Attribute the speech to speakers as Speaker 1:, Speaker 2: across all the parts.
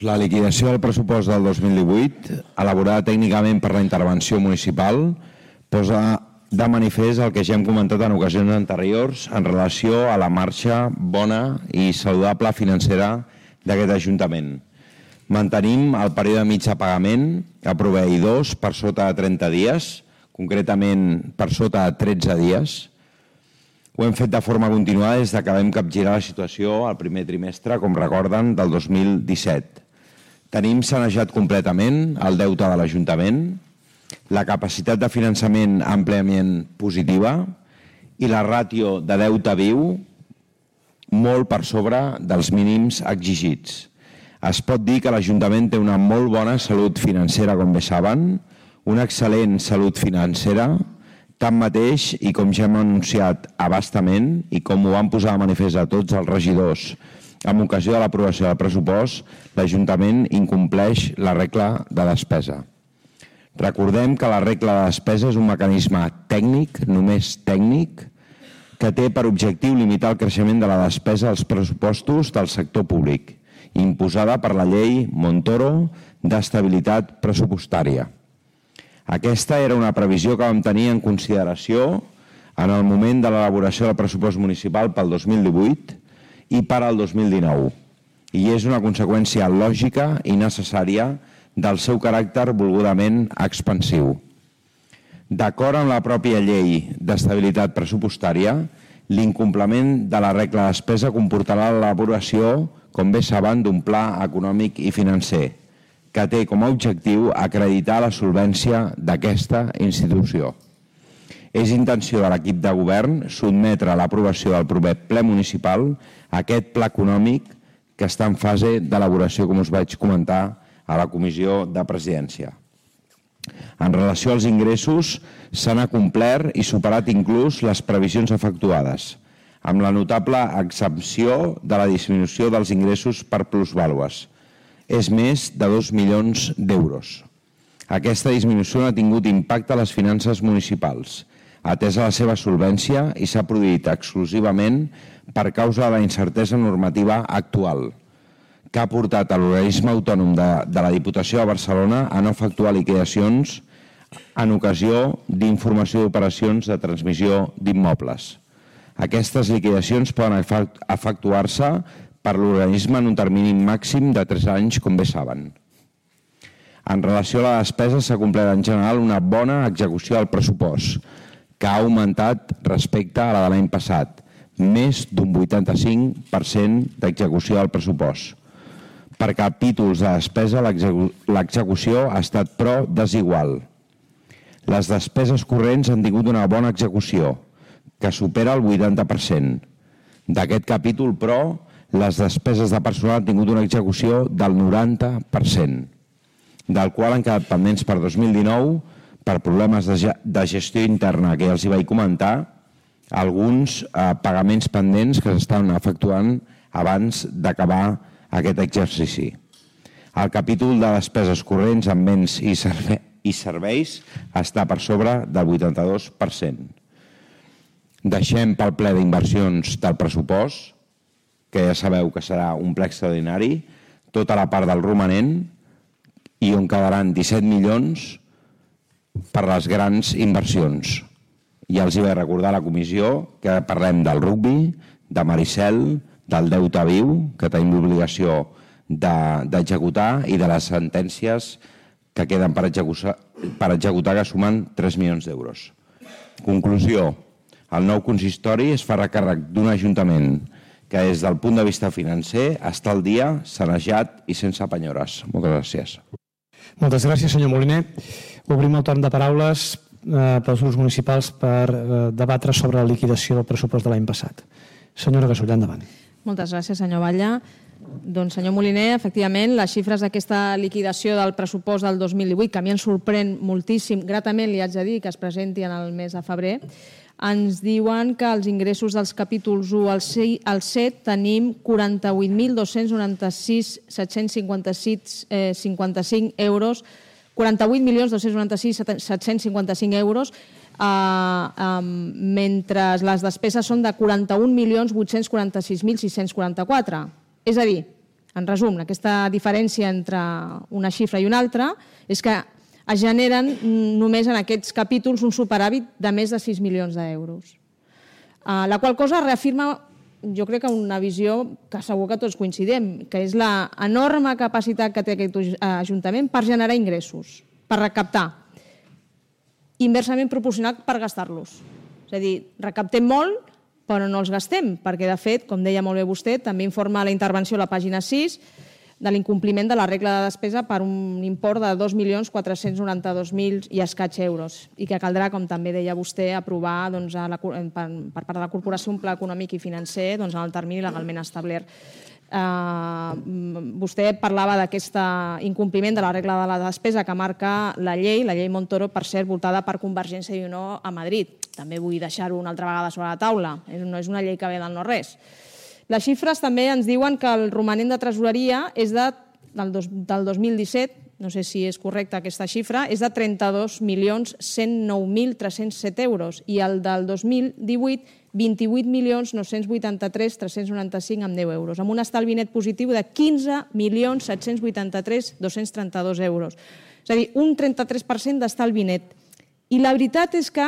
Speaker 1: La liquidació del pressupost del 2018, elaborada tècnicament per la intervenció municipal, posa de manifest el que ja hem comentat en ocasions anteriors en relació a la marxa bona i saludable financera d'aquest Ajuntament. Mantenim el període mig de pagament a proveïdors per sota de 30 dies, concretament per sota de 13 dies. Ho hem fet de forma continuada des que vam capgirar la situació al primer trimestre, com recorden, del 2017. Tenim sanejat completament el deute de l'Ajuntament, la capacitat de finançament àmpliament positiva i la ràtio de deute viu molt per sobre dels mínims exigits. Es pot dir que l'Ajuntament té una molt bona salut financera, com bé saben, una excel·lent salut financera, tanmateix, i com ja hem anunciat a bastament i com ho van posar de manifest a tots els regidors en ocasió de l'aprovació del pressupost, l'Ajuntament incompleix la regla de despesa. Recordem que la regla de despesa és un mecanisme tècnic, només tècnic, que té per objectiu limitar el creixement de la despesa als pressupostos del sector públic, imposada per la llei Montoro d'estabilitat pressupostària. Aquesta era una previsió que vam tenir en consideració en el moment de l'elaboració del pressupost municipal pel 2018 i per al 2019, i és una conseqüència lògica i necessària del seu caràcter volgudament expansiu. D'acord amb la pròpia llei d'estabilitat pressupostària, l'incompliment de la regla de despesa comportarà l'elaboració, com bé saben, d'un pla econòmic i financer, que té com a objectiu acreditar la solvència d'aquesta institució. És intenció de l'equip de govern sotmetre a l'aprovació del proper ple municipal aquest pla econòmic que està en fase d'elaboració, com us vaig comentar a la comissió de presidència. En relació als ingressos, s'han acomplert i superat inclús les previsions efectuades, amb la notable exempció de la disminució dels ingressos per plusvàlues. És més de 2 milions d'euros. Aquesta disminució no ha tingut impacte a les finances municipals, atesa la seva solvència, i s'ha produït exclusivament per causa de la incertesa normativa actual, que ha portat a l'organisme autònom de la Diputació de Barcelona a no efectuar liquidacions en ocasió d'informació d'operacions de transmissió d'immobles. Aquestes liquidacions poden efectuar-se per l'organisme en un termini màxim de 3 anys, com bé saben. En relació a la despesa, s'ha complert en general una bona execució del pressupost, que ha augmentat respecte a la de l'any passat, més d'un 85% d'execució del pressupost. Per capítols de despesa, l'execució ha estat, però, desigual. Les despeses corrents han tingut una bona execució, que supera el 80%. D'aquest capítol, però, les despeses de personal han tingut una execució del 90%, del qual han quedat pendents per 2019, per problemes de gestió interna que ja els hi vaig comentar, alguns pagaments pendents que s'estan efectuant abans d'acabar aquest exercici. El capítol de despeses corrents en béns i serveis està per sobre del 82%. Deixem pel ple d'inversions del pressupost, que ja sabeu que serà un ple extraordinari, tota la part del romanent, i on quedaran 17 milions per les grans inversions. Ja els hi vaig recordar a la comissió que parlem del rugbi, de Maricel, del deute viu, que tenim l'obligació d'executar, i de les sentències que queden per executar, que sumen 3 milions d'euros. Conclusió: el nou consistori es farà càrrec d'un ajuntament que des del punt de vista financer està al dia, sanejat i sense penyores. Moltes gràcies.
Speaker 2: Moltes gràcies, senyor Moliner. Obrim el torn de paraules pels grups municipals per debatre sobre la liquidació del pressupost de l'any passat. Senyora Gasull, endavant.
Speaker 3: Moltes gràcies, senyor Batlle. Doncs, senyor Moliner, efectivament, les xifres d'aquesta liquidació del pressupost del 2018, que a mi em sorprèn moltíssim, gratament li haig de dir que es presenti en el mes de febrer, ens diuen que els ingressos dels capítols 1 al 7 tenim 48.296.755 euros, 48.296.755 euros, mentre les despeses són de 41.846.644. És a dir, En resum, aquesta diferència entre una xifra i una altra és que es generen només en aquests capítols un superàvit de més de 6 milions d'euros. La qual cosa reafirma, jo crec que una visió que segur que tots coincidim, que és l'enorme capacitat que té aquest Ajuntament per generar ingressos, per recaptar, inversament proporcional per gastar-los. És a dir, recaptem molt, però no els gastem, perquè, de fet, com deia molt bé vostè, també informa la intervenció a la pàgina 6 de l'incompliment de la regla de despesa per un import de 2.492.000 i escaig euros i que caldrà, com també deia vostè, aprovar per part de la Corporació un pla econòmic i financer en el termini legalment establert. Vostè parlava d'aquest incompliment de la regla de la despesa que marca la llei Montoro, per cert, votada per Convergència i Unió a Madrid. També vull deixar-ho una altra vegada sobre la taula. No és una llei que ve del no-res. Les xifres també ens diuen que el romanent de tresoreria és del 2017, no sé si és correcta aquesta xifra, és de 32.109.307 euros i el del 2018 28.983.395 amb 10 euros, amb un estalvi net positiu de 15.783.232 euros. És a dir, un 33% d'estalvi net. I la veritat és que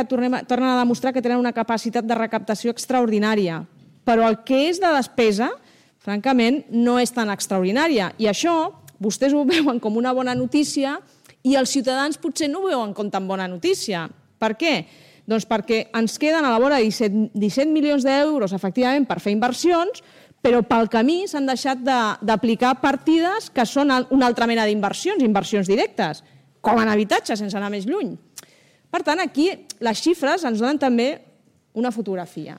Speaker 3: tornen a demostrar que tenen una capacitat de recaptació extraordinària, però el que és de despesa, francament, no és tan extraordinària. I això vostès ho veuen com una bona notícia i els ciutadans potser no ho veuen com tan bona notícia. Per què? Doncs perquè ens queden a la vora 17 milions d'euros, efectivament, per fer inversions, però pel camí s'han deixat d'aplicar partides que són una altra mena d'inversions, inversions directes, com en habitatge, sense anar més lluny. Per tant, aquí les xifres ens donen també una fotografia.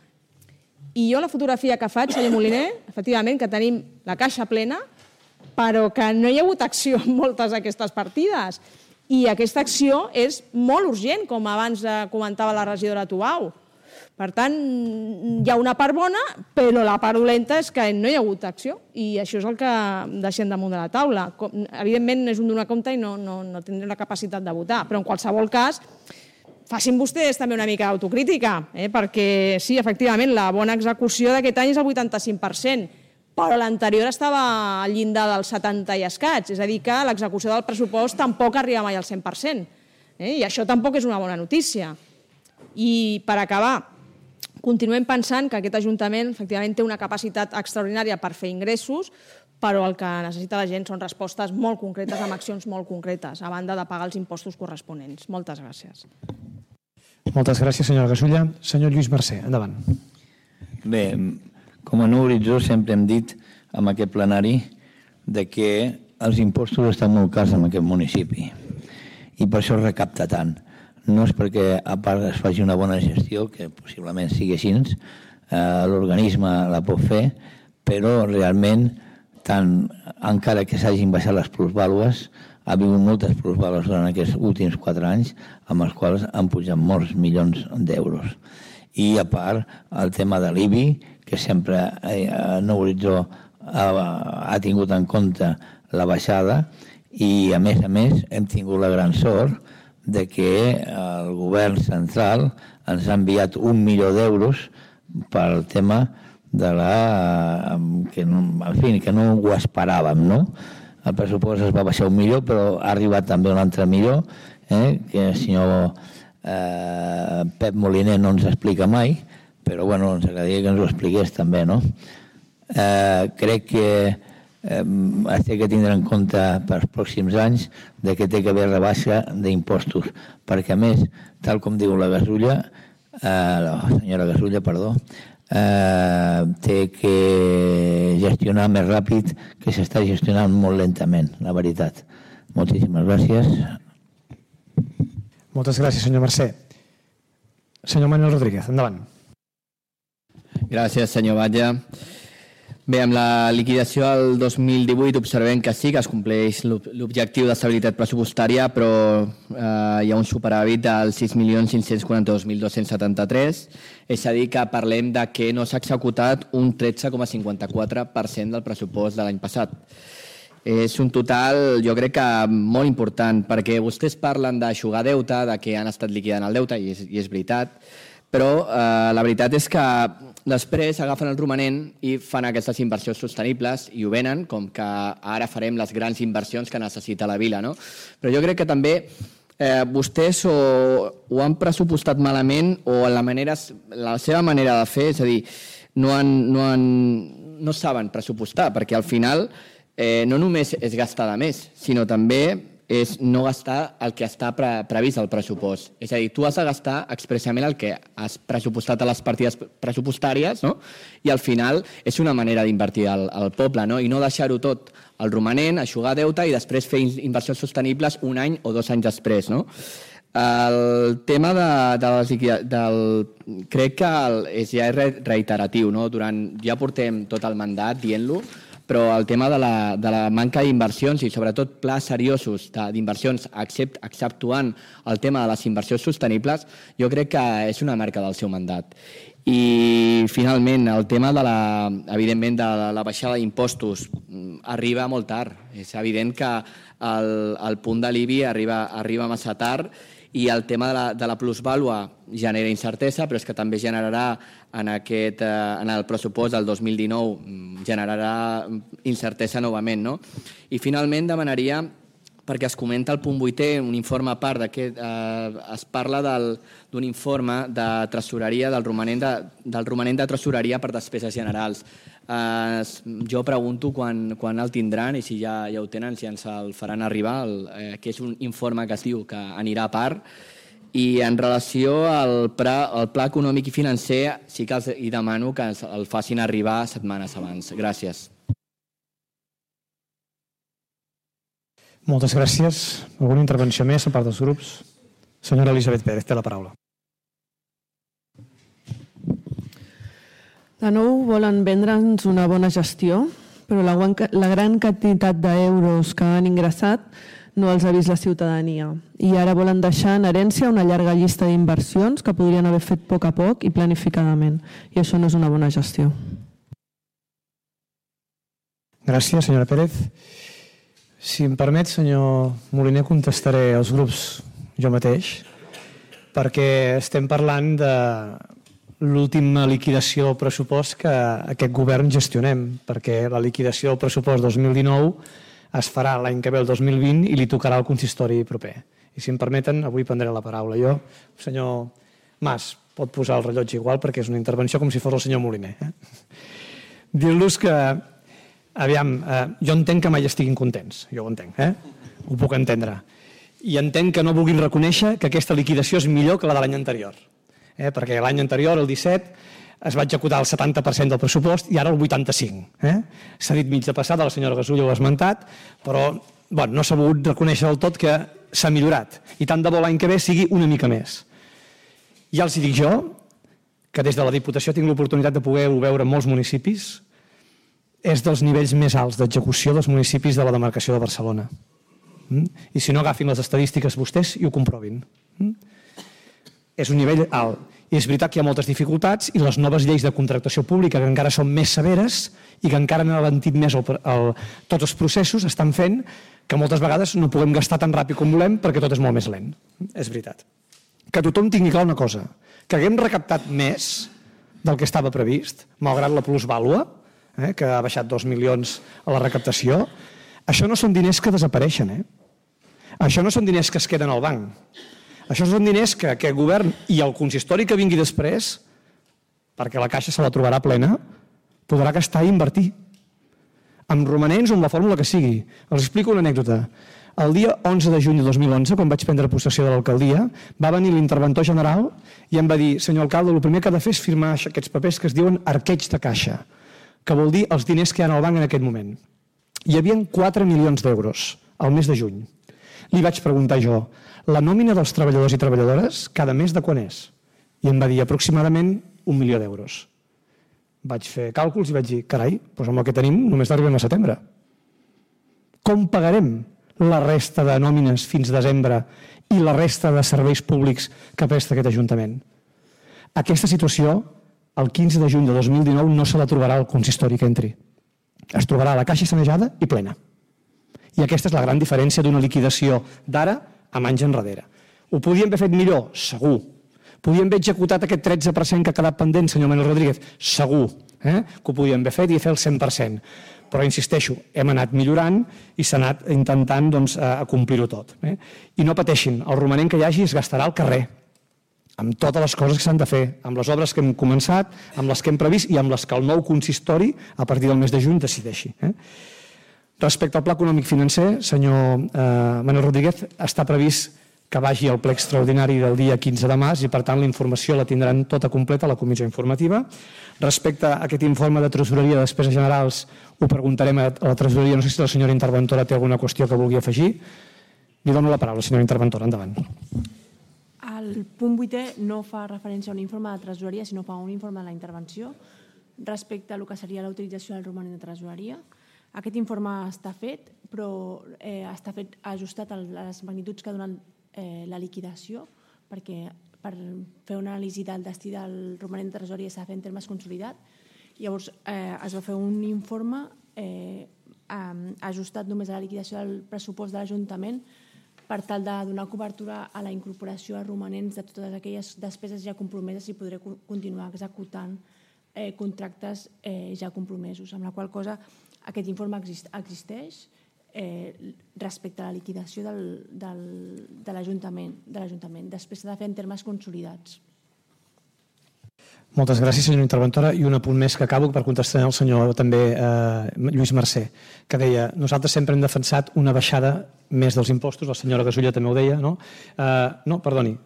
Speaker 3: I jo la fotografia que faig, senyor Moliner, efectivament, que tenim la caixa plena, però que no hi ha hagut acció en moltes d'aquestes partides. I aquesta acció és molt urgent, com abans comentava la regidora Tubau. Per tant, hi ha una part bona, però la part dolenta és que no hi ha hagut acció. I això és el que deixem damunt de la taula. Evidentment, és un donar compte i no tindrem la capacitat de votar. Però, en qualsevol cas, facin vostès també una mica d'autocrítica, perquè sí, efectivament, la bona execució d'aquest any és el 85%, però l'anterior estava al llindar del 70 i escaig, és a dir, que l'execució del pressupost tampoc arriba mai al 100%, i això tampoc és una bona notícia. I per acabar, continuem pensant que aquest Ajuntament efectivament té una capacitat extraordinària per fer ingressos, però el que necessita la gent són respostes molt concretes, amb accions molt concretes, a banda de pagar els impostos corresponents. Moltes gràcies.
Speaker 2: Moltes gràcies, senyora Gasulla. Senyor Lluís Mercè, endavant.
Speaker 4: Bé, com a Nou Horitzó sempre hem dit en aquest plenari que els impostos estan molt cars en aquest municipi i per això es recapta tant. No és perquè a part es faci una bona gestió, que possiblement sigui així, l'organisme la pot fer, però realment, encara que s'hagin baixat les plusvàlues, ha vingut moltes plusvàlues durant aquests últims 4 anys, amb els quals han pujat molts milions d'euros. I a part, el tema de l'IBI, que sempre Nou Horitzó ha tingut en compte la baixada, i a més hem tingut la gran sort de que el govern central ens ha enviat 1 milió d'euros pel tema de que no ho esperàvem, no? El pressupost es va baixar 1 milió, però ha arribat també un altre milió, que el senyor Pep Moliner no ens explica mai, però bueno, ens agradaria que ens ho expliqués també, no? Crec que es té que tindre en compte pels pròxims anys que té que haver rebaixa d'impostos, perquè a més, tal com diu la Gasulla, la senyora Gasulla, perdó, té que gestionar més ràpid, que s'està gestionant molt lentament, la veritat. Moltíssimes gràcies.
Speaker 2: Moltes gràcies, senyor Mercè. Senyor Manuel Rodríguez, endavant.
Speaker 5: Gràcies, senyor Batlle. Bé, amb la liquidació del 2018 observem que sí que es compleix l'objectiu d'estabilitat pressupostària, però hi ha un superàvit del 6.542.273, és a dir, que parlem de que no s'ha executat un 13,54% del pressupost de l'any passat. És un total, jo crec que molt important, perquè vostès parlen d'aixugar deute, de que han estat liquidant el deute, i és veritat, però la veritat és que després agafen el romanent i fan aquestes inversions sostenibles i ho venen com que ara farem les grans inversions que necessita la vila, no? Però jo crec que també vostès ho han pressupostat malament o la seva manera de fer, és a dir, no saben pressupostar, perquè al final no només és gastar de més, sinó també és no gastar el que està previst al pressupost. És a dir, tu has de gastar expressament el que has pressupostat a les partides pressupostàries, no? I al final és una manera d'invertir al poble, no? I no deixar-ho tot al romanent, eixugar deute i després fer inversions sostenibles un any o 2 anys després, no? El tema crec que ja és reiteratiu, no? Ja portem tot el mandat dient-lo, però el tema de la manca d'inversions i sobretot plans seriosos d'inversions exceptuant el tema de les inversions sostenibles, jo crec que és una marca del seu mandat. I finalment el tema evidentment de la baixada d'impostos arriba molt tard. És evident que el punt de l'IBI arriba massa tard i el tema de la plusvàlua genera incertesa, però és que també generarà en el pressupost del 2019 generarà incertesa novament, no? I finalment demanaria, perquè es comenta al punt 8è, un informe a part es parla d'un informe de tresoreria, del romanent de tresoreria per despeses generals. Jo pregunto quan el tindran i si ja ho tenen, si ens el faran arribar, que és un informe que es diu que anirà a part. I en relació al pla econòmic i financer sí que els demano que el facin arribar setmanes abans. Gràcies.
Speaker 2: Moltes gràcies. Alguna intervenció més a part dels grups? Senyora Elisabet Pérez, té la paraula.
Speaker 6: De nou volen vendre'ns una bona gestió, però la gran quantitat d'euros que han ingressat no els ha vist la ciutadania. I ara volen deixar en herència una llarga llista d'inversions que podrien haver fet a poc i planificadament. I això no és una bona gestió.
Speaker 2: Gràcies, senyora Pérez. Si em permet, senyor Moliner, contestaré als grups jo mateix, perquè estem parlant de l'última liquidació del pressupost que aquest govern gestionem, perquè la liquidació del pressupost 2019 es farà l'any que ve, el 2020, i li tocarà al consistori proper. I si em permeten, avui prendré la paraula. Jo, senyor Mas, pot posar el rellotge igual perquè és una intervenció com si fos el senyor Moliner. Dir-los que, aviam, jo entenc que mai estiguin contents, jo ho entenc, ho puc entendre. I entenc que no vulguin reconèixer que aquesta liquidació és millor que la de l'any anterior. Perquè l'any anterior, el 17, es va executar el 70% del pressupost i ara el 85%. S'ha dit mig de passada, la senyora Gasulla ho ha esmentat, però no s'ha volgut reconèixer del tot que s'ha millorat. I tant de bo l'any que ve sigui una mica més. Ja els dic jo, que des de la Diputació tinc l'oportunitat de poder-ho veure en molts municipis, és dels nivells més alts d'execució dels municipis de la demarcació de Barcelona. I si no, agafin les estadístiques vostès i ho comprovin. És un nivell alt. I és veritat que hi ha moltes dificultats i les noves lleis de contractació pública, que encara són més severes i que encara han alentit més tots els processos, estan fent que moltes vegades no puguem gastar tan ràpid com volem perquè tot és molt més lent. És veritat. Que tothom tingui clar una cosa, que haguem recaptat més del que estava previst, malgrat la plusvàlua, que ha baixat 2 milions a la recaptació, això no són diners que desapareixen. Això no són diners que es queden al banc. Això són diners que aquest govern i el consistori que vingui després, perquè la caixa se la trobarà plena, podrà gastar i invertir. Amb romanents o amb la fórmula que sigui. Els explico una anècdota. El dia 11 de juny de 2011, quan vaig prendre possessió de l'alcaldia, va venir l'interventor general i em va dir: senyor alcalde, el primer que ha de fer és firmar aquests papers que es diuen arqueig de caixa, que vol dir els diners que hi ha al banc en aquest moment. Hi havia 4 milions d'euros al mes de juny. Li vaig preguntar jo: la nòmina dels treballadors i treballadores cada mes de quan és? I em va dir aproximadament 1 milió d'euros. Vaig fer càlculs i vaig dir: carai, doncs amb el que tenim només arribem a setembre. Com pagarem la resta de nòmines fins a desembre i la resta de serveis públics que presta aquest Ajuntament? Aquesta situació, el 15 de juny de 2019, no se la trobarà el consistori que entri. Es trobarà la caixa sanejada i plena. I aquesta és la gran diferència d'una liquidació d'ara amb anys enrere. Ho podíem haver fet millor? Segur. Podíem haver executat aquest 13% que ha quedat pendent, senyor Manuel Rodríguez? Segur que ho podíem haver fet i fer el 100%. Però, insisteixo, hem anat millorant i s'ha anat intentant complir-ho tot. I no pateixin, el romanent que hi hagi es gastarà al carrer, amb totes les coses que s'han de fer, amb les obres que hem començat, amb les que hem previst i amb les que el nou consistori, a partir del mes de juny, decideixi. Respecte al pla econòmic financer, senyor Manuel Rodríguez, està previst que vagi al ple extraordinari del dia 15 de març i, per tant, la informació la tindran tota completa a la comissió informativa. Respecte a aquest informe de tresoreria de despeses generals, ho preguntarem a la tresoreria. No sé si la senyora interventora té alguna qüestió que vulgui afegir. Li dono la paraula, senyora interventora. Endavant.
Speaker 7: El punt 8è no fa referència a un informe de tresoreria, sinó fa un informe de la intervenció respecte a el que seria la utilització del romanent de tresoreria. Aquest informe està fet, però està fet ajustat a les magnituds que donen la liquidació, perquè per fer una anàlisi del destí del romanent de tresoreria s'ha de fer en termes consolidats. Llavors es va fer un informe ajustat només a la liquidació del pressupost de l'Ajuntament per tal de donar cobertura a la incorporació de romanents de totes aquelles despeses ja compromeses i poder continuar executant contractes ja compromesos, amb la qual cosa aquest informe existeix respecte a la liquidació de l'Ajuntament. Després s'ha de fer en termes consolidats.
Speaker 2: Moltes gràcies, senyora interventora. I un apunt més que acabo per contestar al senyor també Lluís Mercè, que deia nosaltres sempre hem defensat una baixada més dels impostos, la senyora Gasulla també ho deia, no? No, perdoni.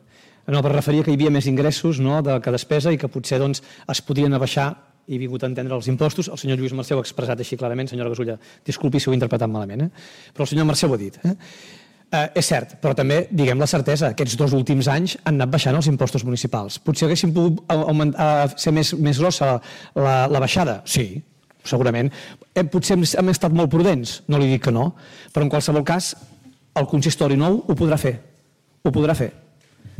Speaker 2: No, per referir que hi havia més ingressos que despesa i que potser es podrien abaixar i he vingut a entendre els impostos. El senyor Lluís Mercè ho ha expressat així clarament, senyora Gasulla, disculpi si ho he interpretat malament, però el senyor Mercè ho ha dit. És cert, però també diguem la certesa, aquests 2 últims anys han anat baixant els impostos municipals. Potser haguéssim pogut ser més grossa la baixada? Sí, segurament. Potser hem estat molt prudents, no li dic que no, però en qualsevol cas el consistori nou ho podrà fer. Ho podrà fer.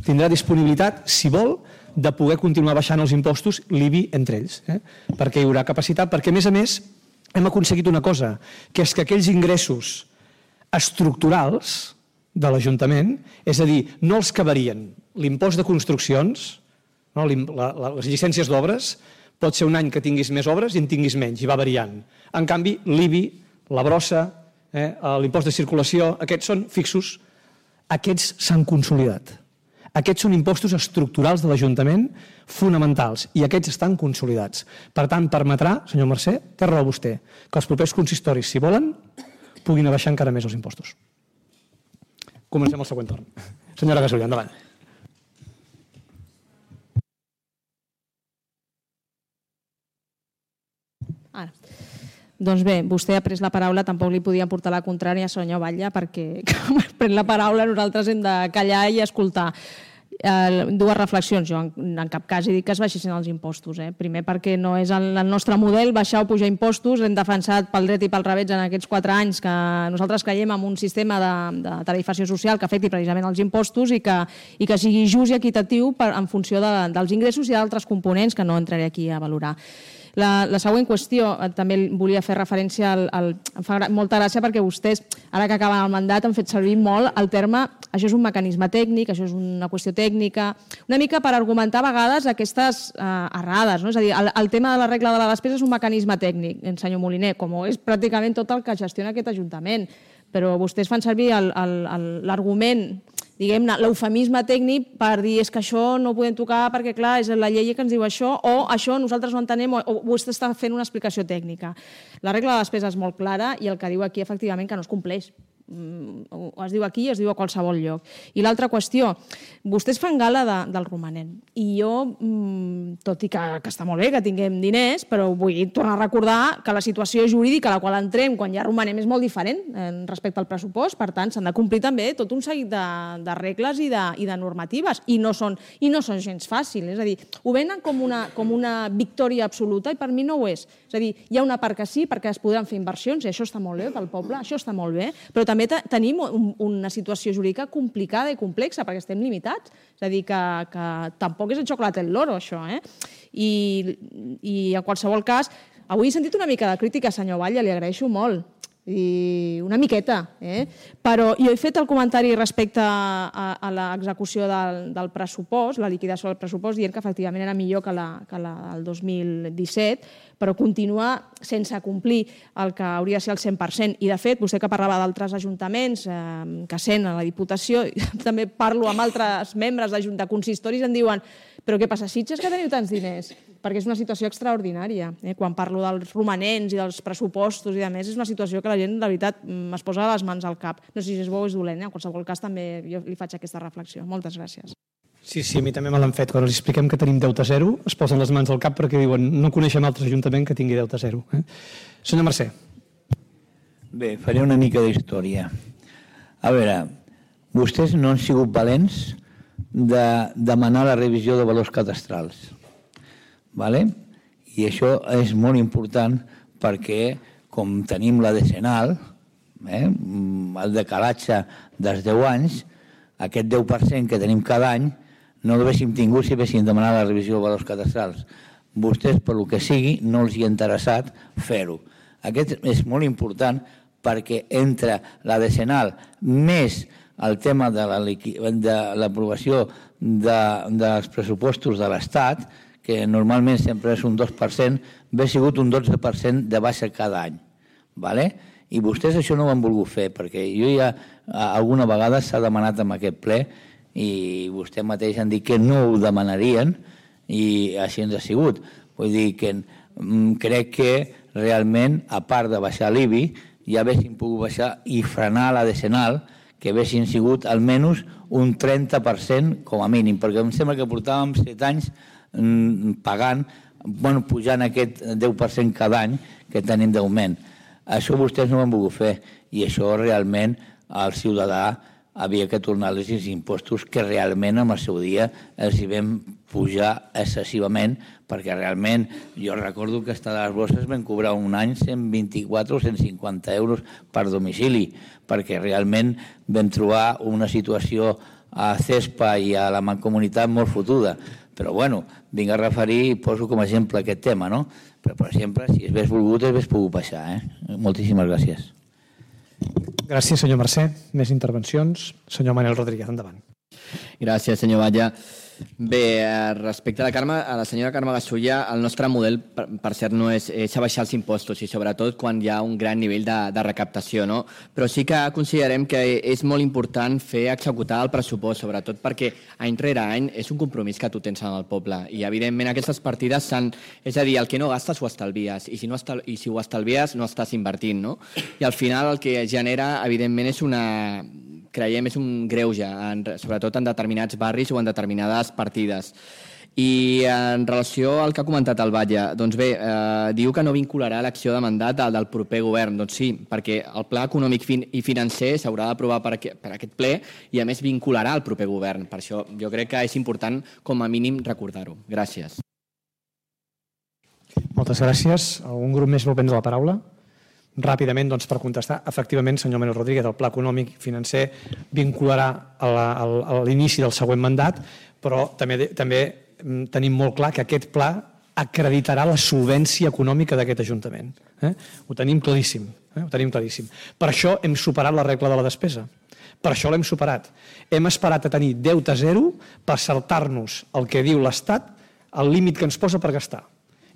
Speaker 2: Tindrà disponibilitat, si vol, de poder continuar baixant els impostos, l'IBI entre ells, perquè hi haurà capacitat, perquè a més hem aconseguit una cosa, que és que aquells ingressos estructurals de l'Ajuntament, és a dir, no els que varien. L'impost de construccions, les llicències d'obres, pot ser un any que tinguis més obres i en tinguis menys, i va variant. En canvi, l'IBI, la brossa, l'impost de circulació, aquests són fixos, aquests s'han consolidat. Aquests són impostos estructurals de l'Ajuntament fonamentals i aquests estan consolidats. Per tant, permetrà, senyor Mercè, té raó vostè, que els propers consistoris, si volen, puguin abaixar encara més els impostos. Comencem el següent torn. Senyora Gasulla, endavant.
Speaker 3: Ara. Doncs bé, vostè ha pres la paraula, tampoc li podia portar la contrària a senyor Batlle, perquè quan pren la paraula nosaltres hem de callar i escoltar. 2 reflexions. Jo en cap cas he dit que es baixessin els impostos. Primer perquè no és el nostre model baixar o pujar impostos. Hem defensat pel dret i pel revés en aquests 4 anys que nosaltres creiem en un sistema de tarifació social que afecti precisament els impostos i que sigui just i equitatiu en funció dels ingressos i d'altres components que no entraré aquí a valorar. La següent qüestió, també volia fer referència em fa molta gràcia perquè vostès, ara que acaben el mandat, han fet servir molt el terme això és un mecanisme tècnic, això és una qüestió tècnica, una mica per argumentar a vegades aquestes errades. És a dir, el tema de la regla de la despesa és un mecanisme tècnic, senyor Moliner, com és pràcticament tot el que gestiona aquest Ajuntament. Però vostès fan servir l'argument, diguem-ne, l'eufemisme tècnic per dir és que això no ho podem tocar perquè, clar, és la llei que ens diu això, o això nosaltres ho entenem, o vostè està fent una explicació tècnica. La regla de despesa és molt clara i el que diu aquí, efectivament, que no es compleix. Es diu aquí i es diu a qualsevol lloc. I l'altra qüestió, vostès fan gala del romanent i jo, tot i que està molt bé que tinguem diners, però vull tornar a recordar que la situació jurídica a la qual entrem quan hi ha romanent és molt diferent respecte al pressupost, per tant s'han de complir també tot un seguit de regles i de normatives i no són gens fàcils, és a dir, ho venen com una victòria absoluta i per mi no ho és. És a dir, hi ha una part que sí, perquè es podran fer inversions i això està molt bé pel poble, això està molt bé, però també tenim una situació jurídica complicada i complexa perquè estem limitats. És a dir, que tampoc és el xocolate el loro, això. I en qualsevol cas, avui he sentit una mica de crítica, senyor Batlle, li agraeixo molt. i una miqueta. Però jo he fet el comentari respecte a l'execució del pressupost, la liquidació del pressupost, dient que efectivament era millor que la del 2017, però continua sense complir el que hauria de ser el 100%. I, de fet, vostè que parlava d'altres ajuntaments que sent a la Diputació, també parlo amb altres membres de consistoris i em diuen però què passa, Sitges, que teniu tants diners? Perquè és una situació extraordinària. Quan parlo dels romanents i dels pressupostos i de més, és una situació que la gent, de veritat, es posa les mans al cap. No sé si és bo o és dolent, en qualsevol cas també jo li faig aquesta reflexió. Moltes gràcies.
Speaker 2: Sí, a mi també me l'han fet. Quan els expliquem que tenim deute zero, es posen les mans al cap perquè diuen no coneixem altres ajuntaments que tingui deute zero. Senyor Mercè.
Speaker 4: Bé, faré una mica d'història. A veure, vostès no han sigut valents de demanar la revisió de valors cadastrals. I això és molt important perquè, com tenim la decenal, el decalatge dels 10 anys, aquest 10% que tenim cada any, no l'haguéssim tingut si haguéssim demanat la revisió de valors cadastrals. Vostès, per lo que sigui, no els hi ha interessat fer-ho. Aquest és molt important perquè entre la decenal més el tema de l'aprovació dels pressupostos de l'Estat, que normalment sempre és un 2%, ha sigut un 12% de baixa cada any. I vostès això no ho han volgut fer, perquè jo ja alguna vegada s'ha demanat en aquest ple i vostè mateix han dit que no ho demanarien i així ens ha sigut. Vull dir que crec que realment, a part de baixar l'IBI, ja haguéssim pogut baixar i frenar la decenal, que haguessin sigut almenys un 30% com a mínim, perquè em sembla que portàvem 7 anys pagant, pujant aquest 10% cada any que tenim d'augment. Això vostès no ho han volgut fer i això realment el ciutadà havia que tornar els impostos que realment en el seu dia els hi vam pujar excessivament perquè realment jo recordo que a les bosses vam cobrar un any 124 o 150 euros per domicili perquè realment vam trobar una situació a CESPA i a la Mancomunitat molt fotuda. Però bueno, vinc a referir i poso com a exemple aquest tema, no? Però per exemple, si es hagués volgut, es hagués pogut baixar. Moltíssimes gràcies.
Speaker 2: Gràcies, senyor Mercè. Més intervencions. Senyor Manel Rodríguez, endavant.
Speaker 5: Gràcies, senyor Batlle. Bé, respecte a la senyora Carme Gasulla, el nostre model, per cert, no és abaixar els impostos i sobretot quan hi ha un gran nivell de recaptació, no? Però sí que considerem que és molt important fer executar el pressupost, sobretot perquè any rere any és un compromís que tu tens en el poble i evidentment aquestes partides és a dir, el que no gastes ho estalvies i si ho estalvies no estàs invertint, no? I al final el que genera evidentment creiem és un greuge, sobretot en determinats barris o en determinades partides. I en relació al que ha comentat el Batlle, doncs bé, diu que no vincularà l'acció de mandat del proper govern. Doncs sí, perquè el pla econòmic i financer s'haurà d'aprovar per aquest ple i a més vincularà el proper govern. Per això jo crec que és important com a mínim recordar-ho. Gràcies.
Speaker 2: Moltes gràcies. Algun grup més vol prendre la paraula? Ràpidament, doncs, per contestar, efectivament, senyor Manel Rodríguez, el pla econòmic i financer vincularà a l'inici del següent mandat, però també tenim molt clar que aquest pla acreditarà la solvència econòmica d'aquest Ajuntament. Ho tenim claríssim. Per això hem superat la regla de la despesa. Per això l'hem superat. Hem esperat a tenir deute zero per saltar-nos el que diu l'Estat, el límit que ens posa per gastar.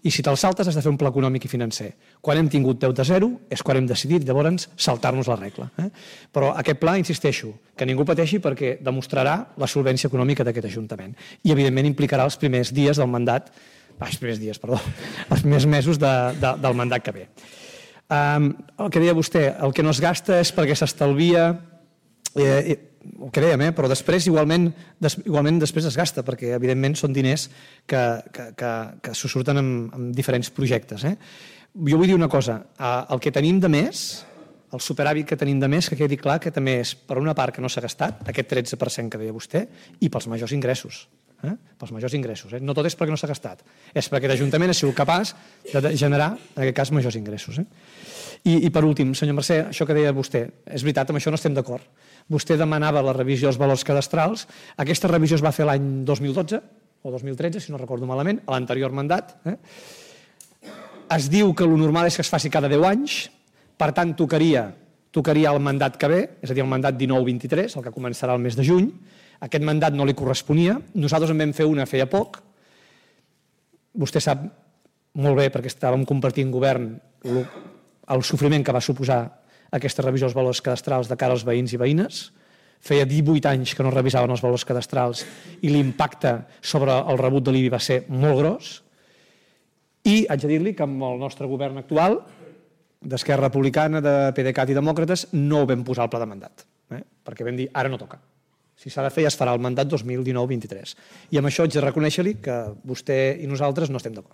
Speaker 2: I si te'l saltes has de fer un pla econòmic i financer. Quan hem tingut deute zero és quan hem decidit llavors saltar-nos la regla. Però aquest pla, insisteixo, que ningú pateixi perquè demostrarà la solvència econòmica d'aquest Ajuntament i evidentment implicarà els primers dies del mandat, els primers mesos del mandat que ve. El que deia vostè, el que no es gasta és perquè s'estalvia, el que dèiem, però després igualment després es gasta, perquè evidentment són diners que s'ho surten en diferents projectes. Jo vull dir una cosa, el que tenim de més, el superàvit que tenim de més, que quedi clar que també és per una part que no s'ha gastat, aquest 13% que deia vostè, i pels majors ingressos. No tot és perquè no s'ha gastat, és perquè l'Ajuntament ha sigut capaç de generar, en aquest cas, majors ingressos. I per últim, senyor Mercè, això que deia vostè, és veritat, amb això no estem d'acord. Vostè demanava la revisió dels valors cadastrals. Aquesta revisió es va fer l'any 2012 o 2013, si no recordo malament, a l'anterior mandat. Es diu que el normal és que es faci cada 10 anys, Per tant, tocaria el mandat que ve, és a dir, el mandat 19-23, el que començarà el mes de juny. Aquest mandat no li corresponia. Nosaltres en vam fer una feia poc. Vostè sap molt bé, perquè estàvem compartint govern, el sofriment que va suposar aquesta revisió dels valors cadastrals de cara als veïns i veïnes. Feia 18 anys que no revisaven els valors cadastrals i l'impacte sobre el rebut de l'IBI va ser molt gros. I haig de dir-li que amb el nostre govern actual, d'Esquerra Republicana, de PDeCAT i Demòcrates, no ho vam posar al pla de mandat, perquè vam dir, ara no toca. Si s'ha de fer, ja es farà el mandat 2019-23. I amb això haig de reconèixer-li que vostè i nosaltres no estem d'acord.